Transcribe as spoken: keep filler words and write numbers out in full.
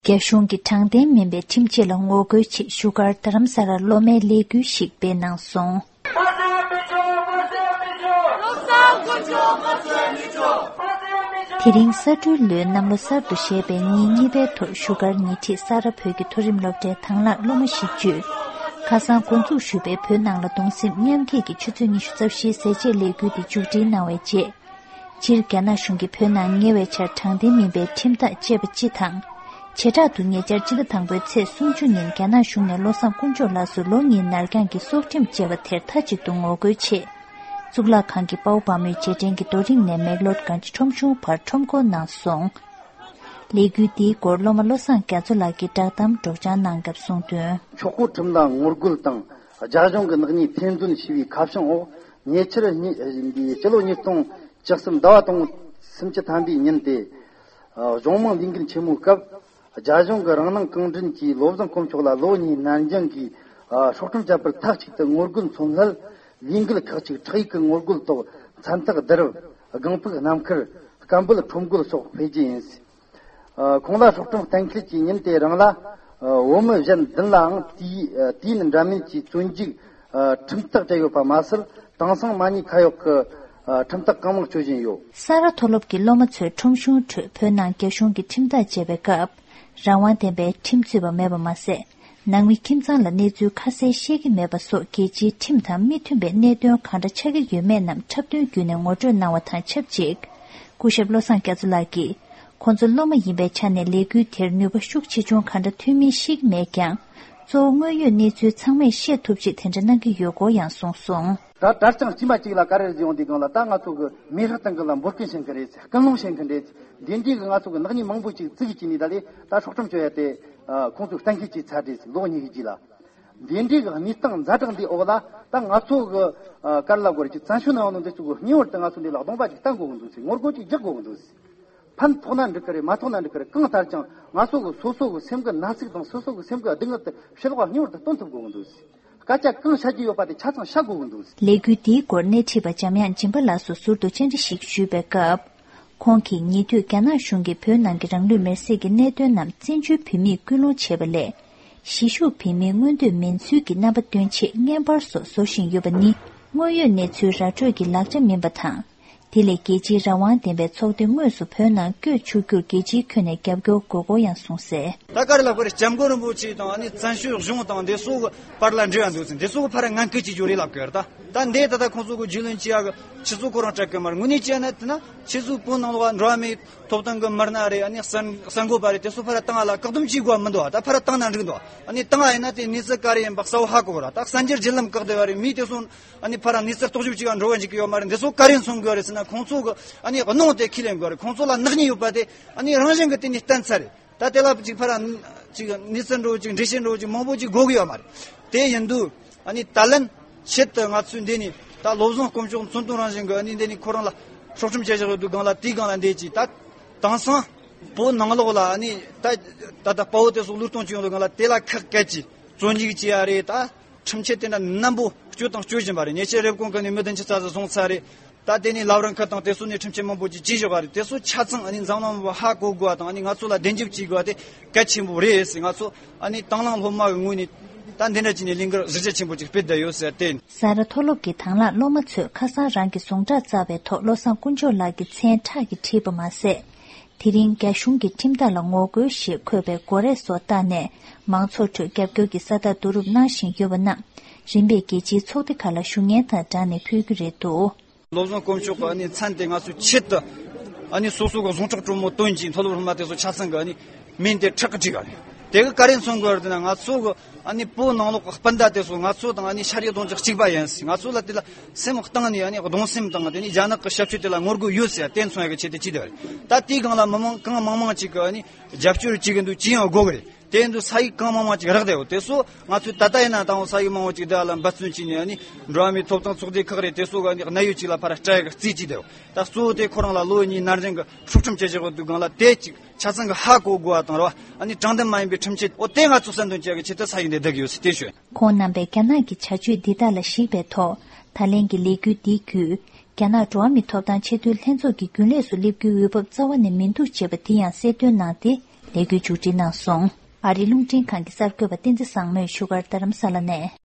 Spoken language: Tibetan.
རྒྱ་གཞུང་གི་དྲང་བདེན་མིན་པའི་ཁྲིམས་ཆད་ལ་ངོ་རྒོལ་ཆེད་བཞུགས་སྒར་རྡ་རམ་ས་ལར་སློབ་མའི་ལས་འགུལ་ཞིག་སྤེལ་གནང་སོང་། དེ་རིང་ས་སྦྲུལ་ལོའི་གནམ་ལོ་གསར་དུ་བཞད་པའི་ཉིན་གཉིས་པའི་ཐོག་བཞུགས་སྒར་ཉེ་འཁྲིས་ས་རཱ་བོད་ཀྱི་མཐོ་རིམ་སློབ་གྲྭའི་དང་བླངས་སློབ་མ་བཞི་བཅུས་ཁ་སང་འགོ་འཛུགས་ཞུས་པའི་བོད་ནང་ལ་གདུང་སེམས་མཉམ་སྐྱེད་ཀྱི་ཆུ་ཚོད་ཉི་ཤུ་རྩ་བཞིའི་ཟས་བཅད་ལས་འགུལ་དེ་མཇུག་སྒྲིལ་གནང་བའི་རྗེས། སྤྱིར་རྒྱ་ནག་གཞུང་གིས་བོད་ནང་ཉེ་བའི་ཆར་དྲང་བདེན་མིན་པའི་ཁྲིམས་ཐག་བཅད་པ་སྤྱི་དང་། བྱེ་བྲག་ཏུ་ཉེ་ཆར་སྤྱི་ཟླ་དང་པོའི་ཚེས་སུམ་ཅུ་ཉིན་རྒྱ་ནག་གཞུང་ནས་བློ་བཟང་དཀོན་མཆོག་ལགས་སུ་ལོ་གཉིས་ནར་འགྱངས་ཀྱི་སྲོག་ཁྲིམས་བཅད་པ་དེར་མཐའ་གཅིག་ཏུ་ངོ་རྒོལ་ཆེད། གཙུག་ལག་ཁང་གི་དཔའ་བོ་དཔའ་མོའི་རྗེས་དྲན་གྱི་རྡོ་རིང་ནས་མེག་ལོར་གངས་ཅན་ཁྲོམ་གཞུང་བར་ཁྲོམ་སྐོར་གནང་སོང་། ལས་འགུལ་འདིའི་སྐོར་སློབ་མ་བློ་བཟང་རྒྱ་མཚོ་ལགས་ཀྱིས་བསྒྲགས་གཏམ་སྒྲོག་སྦྱང་གནང་སྐབས་གསུངས་དོན། ཆོག་མཆན་ཁྲིམས་ལ་ངོ་རྒོལ་དང་རྒྱ་གཞུང་གི་ནག་ཉེས་ཐེར་འདོན་བྱས་པའི་ཁ་བྱང་འོག་ཉེ་ཆར་ཉིན་འདིའི་སྤྱི་ལོ་ཉིས་སྟོང་བཅུ་གསུམ་ཟླ་བ་དང་སུམ་ཅུ་ཐམ་པའི་ཉིན་ཏེ། གཞུང་མང་ལས་འགུལ་ཆེན་མོའི་སྐབས་རྒྱ་གཞུང་གི་རང་སྣང་གང་དྲན་གྱིས་བློ་བཟང་དཀོན་མཆོག་ལ་ལོ་གཉིས་ནར་འགྱངས་ཀྱིས་སྲོག་ཁྲིམས་བཅད་པར་མཐའ་གཅིག་ཏུ་ངོ་རྒོལ་མཚོན་སླད་ལས་འགུལ་ཁག་ཅིག་ཁྲག་ཡིག་གི་ངོ་རྒོལ་ཐོག་མཚན་རྟགས་བསྡུ་རུབ་སྒང་ཕུག་གནམ་མཁར་སྐད་འབོད་ཁྲོམ་སྐོར་སོགས་སྤེལ་རྒྱུ་ཡིན། ཁོང་ལ་སྲོག་ཁྲིམས་གཏན་འཁེལ་གྱི་ཉིན་དེ་རང་ལ་བོད་མི་གཞན་བདུན་ལའང་དུས་དུས་ཡུན་འདྲ་མིན་གྱི་བཙོན་འཇུག་ཁྲིམས་ཐག་བཅད་ཡོད་པ་མ་ཟད་དེང་སང་མ་ཉེས་ཁ་གཡོག་གི་ཁྲིམས་ཐག་གང་མང་གཅོད་བཞིན་ཡོད། ས་རཱ་མཐོ་སློབ་ཀྱི་སློབ་མ་ཚོས་ཁྲོམ་གཞུང་ཁྲོད་བོད་ནང་རྒྱ་གཞུང་གིས་ཁྲིམས་ཐག་བཅད་པའི་སྐབས་རང་དབང་ལྡན་པའི་ཁྲིམས་རྩོད་པ་མེད་པ་མ་ཟད། ནང་མི་ཁྱིམ་ཚང་ལ་གནས་ཚུལ་ཁ་གསལ་ཤེས་ཀྱི་མེད་པ་སོགས་རྒྱལ་སྤྱིའི་ཁྲིམས་དང་མི་མཐུན་པའི་གནད་དོན་གང་འདྲ་ཆགས་ཀྱི་ཡོད་མེད་རྣམས་འཁྲབ་སྟོན་བརྒྱུད་ནས་ངོ་སྤྲོད་གནང་བ་དང་ཆབས་ཅིག་སྐུ་ཞབས་བློ་བཟང་རྒྱ་མཚོ་ལགས་ཀྱིས། ཁོང་ཚོ་སློབ་མ་ཡིན་པའི་ཆ་ནས་ལས་འགུལ་དེར་ནུས་པ་ཤུགས་ཆེ་ཆུང་གང་འདྲ་ཐོན་མིན་ཤེས་ཀྱི་མེད་ཀྱང་། གཙོ་བོ་དངོས་ཡོད་གནས་ཚུལ་ཚང་མས་ཤེས་ཐུབ་ཆེད་དེ་འདྲ་གནང་གི་ཡོད་སྐོར་ཡང་གསུངས་སོང་། ད་གྲྭ་རྐྱང་དཀྱུས་མ་གཅིག་ལ་ག་རེ་ཟེར་ཡོང་དུས་སྒང་ལ་ད་ང་ཚོ་གི་མི་ཧྲག་སྟེང་གི་ལ་འབོད་སྐུལ་བྱེད་མཁན་རེད། སྐུལ་སློང་བྱེད་མཁན་རེད། འདི་འདྲའི་གི་ང་ཚོ་གི་ནག་ཉེས་མང་པོ་ཅིག་བཙུགས་ཀྱི་ནི་ད་ལས་ད་སྲོག་ཁྲིམས་གཅོད་ཡ་དེ་ཁོང་ཚོས་གཏན་འཁེལ་བྱས་ཚར་རེད། ལོ་གཉིས་ཀྱི་རྗེས་ལ། འདི་འདྲའི་གི་གནས་སྟངས་ཛ་དྲག་འདི་འོག་ལ་ད་ང་ཚོ་གི་ཨ་ག་རེ་ལབ་དགོས་རེད། ཅིག་བཙན་བྱོལ་ནང་ཡོང་ནོ་འདི་ཚོ་གི་སྙིང་བོར་དུ་ང་ཚོ་འདི་ལ་གདོང་པ་ཅིག་བསྟན་དགོས་གི་འདུག་ཟེར། ངོ་རྒོལ་ཅིག་རྒྱག་དགོས་གི་འདུག་ཟེར། ཕན་ཐོགས་ན་འགྲིག་གི་རེད། མ་ཐོགས་ན་འགྲིག་གི་རེད། གང་ལྟར་ཀྱང་ང་ཚོ་གི་སོ་སོ་གི་སེམས་གི་ན་ཟུག་དང་སོ་སོ་གི་སེམས་གི་སྡུག་བསྔལ་དེ་ཕྱི་ལོགས་ལ་སྙིང་བོར་དུ་སྟོན་ཐུབ་དགོས་གི་འདུག་ཟེར། སྐད་ཆ་གང་བཤད་རྒྱུ་ཡོད་པ་དེ་ཆ་ཚང་བཤད་དགོས་གི་འདུག་ཟེར། ལས་འགུལ་འདིའི་སྐོར་སྣེ་ཁྲིད་པ་འཇམ་དབྱངས་སྦྱིན་པ་ལགས་སུ་ཟུར་དུ་བཅར་འདྲི་ཞིག་ཞུས་པའི་སྐབས། ཁོང་གིས་ཉེ་དུས་རྒྱ་ནག་གཞུང་གིས་བོད་ནང་གི་རང་ལུས་མེར་སྲེག་གི་གནད་དོན་རྣམས་བཙན་བྱོལ་བོད་མིས་སྐུལ་སློང་བྱས་པ་ལས། གཞིས་བཞུགས་བོད་མིའི་མངོན་འདོད་མིན་ཚུལ་གྱི་རྣམ་པ་སྟོན་ཆེད་བརྙན་པར་སོགས་བཟོ་བཞིན་ཡོད་པ་ནི་དངོས་ཡོད་གནས་ཚུལ་ར་སྤྲོད་ཀྱི་ལག་ཆ་མིན་པ་དང་། དེ་ལས་རྒྱལ་སྤྱིའི་རང་དབང་ལྡན་པའི་ཚོགས་སྡེ་དངོས་སུ་བོད་ནང་བསྐྱོད་ཆོག་རྒྱུར་རྒྱལ་སྤྱིའི་ཁྱོན་ནས་རྒྱབ་སྐྱོར་དགོས་སྐོར་ཡང་གསུངས་གསལ། ད་ག་རེ་ལབ་དགོས་རེད། སྐྱབས་མགོན་རིན་པོ་ཆེ་དང་ཨ་ནི་བཙན་བྱོལ་གཞུང་དང་འདི་ཚོ་གི་བར་ལ་འབྲེལ་བ་འདུག་ཟེར། འདི་ཚོ་གི་ཕར་ངན་སྐུལ་བྱེད་རྒྱུ་རེད་ལབ་དགོས་རེད། ད་ད་འདི་ད་ལྟ་ཁོང་ཚོ་གི་རྒྱུས་ལོན་བྱེད་ཡ་གི་ཆུ་ཚོད་ཁོ་རང་སྤྲད་གི་མ་རེད། དངོས་གནས་བྱས་ན་དེ་ན་ཁྱེད་ཚོའི་བོད་ནང་ལོགས་འགྲོ་བ་མིའི་ཐོབ་ཐང་གི་མི་སྣ་རེད། ཨ་ནི་གསར་གསར་འགོད་པ་རེད། དེ་ཚོ་ཕར་བཏང་བ་ལ་བཀག་སྡོམ་བྱེད་དགོས་པ་མི་འདུག་བ། ད་ཕར་བཏང་ན་འགྲིག་འདུག་བ། ཨ་ནི་བཏང་བ་ཡིན་ན་དེ་གནས་ཚུལ་ག་རེ་ཡིན་པ་གསལ་བོ་ཧ་གོ་གི་རེད། ད་གསར་འགྱུར་བརྒྱུད་ལམ་བཀག་བསྡད་པ་རེད། མིས་དེ་ཚོ་ཨ་ནི་ཕར་གནས་ཚུལ་རྟོག་ཞིབ་བྱེད་ག་འགྲོ་གི་འཇུག་གི་ཡོད་མ་རེད། འདི་ཚོ་ག་རེ་མཚོན་གི་ཡོད་རེད་ཟེར་ན། ཁོང་ཚོ་གི་ཨ་ནི་གནོང་དེ་ཁས་ལེན་དགོས་རེད། ཁོང་ཚོ་ལ་ནག་ཉེས་ཡོད་པ་དེ་ཨ་ནི་རང་བཞིན་གི་དེ་ནས་བསྟན་ཚར་རེད། ད་དེ་ལ་ཅིག་ཕར་ཅིག་གནས་ཚུལ་འགྲོ་ཅིག་འགྲེལ་བཤད་འགྲོ་ཅིག་མང་པོ་ཅིག་དགོས་གི་ཡོད་མ་རེད། དེ་ཡིན་དུས་ཨ་ནི་ད་ལན་ཆེད་དུ་ང་ཚོས་འདི་ནས་ད་བློ་བཟང་དཀོན་མཆོག་མཚོན་དོན་རང་བཞིན་གི་ཨ་ནི་འདི་ནས་ཁོ་རང་ལ་སྲོག་ཁྲིམས་བཅད་བཞག་ཡོད་དུས་སྒང་ལ། དེའི་སྒང་ལ་འདི་ཅིག་ད་དེང་སང་བོད་ནང་ལོགས་ལ་ཨ་ནི་ད་ད་ད་དཔའ་བོ་དེ་ཚོ་བློས་གཏོང་བྱེད་ཡོང་དུས་སྒང་ལ་དེ་ལ་ཁག་བཀལ་གྱིས་བཙོན་འཇུག་བྱེད་ཡ་རེད། ད་ཁྲིམས་ཆད་དེ་འདྲ་མནན་པོ་གཅོད་དང་གཅོད་བཞིན་པ་རེད། ཉེ་ཆར་རེབ་གོང་གི་ནས་མི་བདུན་ཅུ་རྩ་ཟིན་སོང་ཚར་རེད། ད་དེ་ནས་ལམ་རིམ་ཁག་དང་དེ་ཚོ་ནས་ཁྲིམས་ཆད་མང་པོ་ཅིག་བཅད་བཞག་པ་རེད། དེ་ཚོ་ཆ་ཚང་ཨ་ནི་འཛམ་གླིང་མང་པོ་ཧ་གོ་དགོས་པ་དང་། ཨ་ནི་ང་ཚོ་ལ་བདེན་རྒྱབ་བྱེད་དགོས་པ་དེ་གལ་ཆེན་པོ་རེད་ཟེར། ང་ཚོ་ཨ་ནི་དང་བླངས་སློབ་མ་གི་ངོས་ནས་ད་འདི་འདྲ་བྱས་ནས་ལས་འགུལ་གཞི་རྒྱ་ཆེན་པོ་ཅིག་སྤེལ་བསྡད་ཡོད་ཟེར་བསྟན། ས་རཱ་མཐོ་སློབ་ཀྱི་དང་བླངས་སློབ་མ་ཚོས་ཁ་སང་རང་གི་ཟུངས་ཁྲག་བསྩལ་བའི་ཐོག་བློ་བཟང་དཀོན་མཆོག་ལགས་ཀྱི་མཚན་ཁྲག་གིས་བྲིས་པ་མ་ཟད། དེ་རིང་རྒྱ་གཞུང་གི་ཁྲིམས་ཐག་ལ་ངོ་རྒོལ་ཞེས་འཁོད་པའི་མགོ་རས་སོགས་བཏགས་ནས་མང་ཚོགས་ཁྲོད་རྒྱབ་སྐྱོར་གྱི་ས་རྟགས་བསྡུ་རུབ་གནང་བཞིན་ཡོད་པ་རྣམས་རིམ་པས་རྒྱལ་སྤྱིའི་ཚོགས་སྡེ་ཁག་ལ་ཞུ་སྙན་དང་སྦྲགས་ནས་ཕུལ་རྒྱུ་རེད་འདུག། བློ་བཟང་དཀོན་མཆོག་གི་ཨ་ནི་མཚན་དེ་ང་ཚོས་ཆེད་དུ་ཨ་ནི་སོ་སོ་གི་ཟུངས་ཁྲག་དྲོན་མོ་བཏོན་གྱིས་མཐོ་སློབ་སློབ་མ་དེ་ཚོ་ཆ་ཚང་གི་ཨ་ནི་མིང་དེ་ཁྲག་གིས་བྲིས་པ་རེད། དེ་གི་ག་རེ་མཚོན་དགོས་རེད་ཟེར་ན། ང་ཚོ་གི་ཨ་ནི་བོད་ནང་ལོགས་ཀྱི་སྤུན་ཟླ་དེ་ཚོ་ང་ཚོ་དང་ཨ་ནི་ཤ་རུས་གདོང་རྒྱུད་གཅིག་པ་ཡིན་ཟེར། ང་ཚོ་ལ་དེ་ལ་སེམས་གཏིང་ནས་ཨ་ནི་གདུང་སེམས་དང་། དེ་ནས་རྒྱ་ནག་གི་ཞབས་ཞུ་དེ་ལ་ངོ་རྒོལ་ཡོད་ཟེར་དེ་མཚོན་ཡ་གི་ཆེད་དུ་བྲིས་བསྡད་པ་རེད། ད་དེའི་སྒང་ལ་མི་མང་གང་མང་མང་ཅིག་གི་ཨ་ནི་རྒྱབ་སྐྱོར་བྱེད་གི་འདུག་ཅི་ཡང་དགོས་གི་རེད། དེ་ཡིན་དུས་ས་ཡིག་གང་མང་མང་ཅིག་རག་བསྡད་ཡོད། དེ་ཚོ་ང་ཚོས་ད་ལྟ་ཡིན་ན་ད་འོང་ས་ཡིག་མང་བོ་ཅིག་དེ་ལ་འབད་བརྩོན་བྱས་ནས་ཨ་ནི་འགྲོ་བ་མིའི་ཐོབ་ཐང་ཚོགས་སྡེ་ཁག་རེད། དེ་ཚོ་གི་ཨ་ནི་གནད་ཡོད་ཅིག་ལ་ཕར་སྤྲད་ཡ་གི་རྩིས་བྱས་བསྡད་ཡོད། ད་གཙོ་བོ་དེ་ཁོ་རང་ལ་ལོ་གཉིས་ནར་འགྱངས་གི་སྲོག་ཁྲིམས་བཅད་བཞག་ཡོད་དུས་སྒང་ལ་དེ་ཅིག་ཆ་ཚང་གི་ཧ་གོ་དགོས་པ་དང་རེད་བ། ཨ་ནི་དྲང་བདེན་མ་ཡིན་པའི་ཁྲིམས་ཆད་འོ་དེ་ང་ཚོ་གསལ་འདོན་བྱེད་ཡ་གི་ཆེད་དུ་ས་ཡིག་འདི་བསྡུ་གི་ཡོད་ཟེར་དེ་ཞུ། ཁོང་རྣམ་པས་རྒྱ་ནག་གི་བྱ་སྤྱོད་འདི་དག་ལ་གཞིགས་པའི་ཐོག་ད་ལན་གྱི་ལས་འགུལ་འདི་བརྒྱུད། རྒྱ་ནག་འགྲོ་བ་མིའི་ཐོབ་ཐང་ཆེས་མཐོའི་ལྷན་ཚོགས་ཀྱི་རྒྱུན་ལས་སུ་སླེབས་རྒྱུའི་འོས་བབ་རྩ་བ་ནས་མི་འདུག་ཅེས་པ་འདི་ཡང་གསལ་སྟོན་གནང་སྟེ། ལས་འགུལ་མཇུག་སྒྲིལ་གནང་སོང་། ཨ་རིའི་རླུང་འཕྲིན་ཁང་གི་གསར་འགོད་པ་བསྟན་འཛིན་བཟང་མོས་བཞུགས་སྒར་རྡ་རམ་ས་ལ་ནས།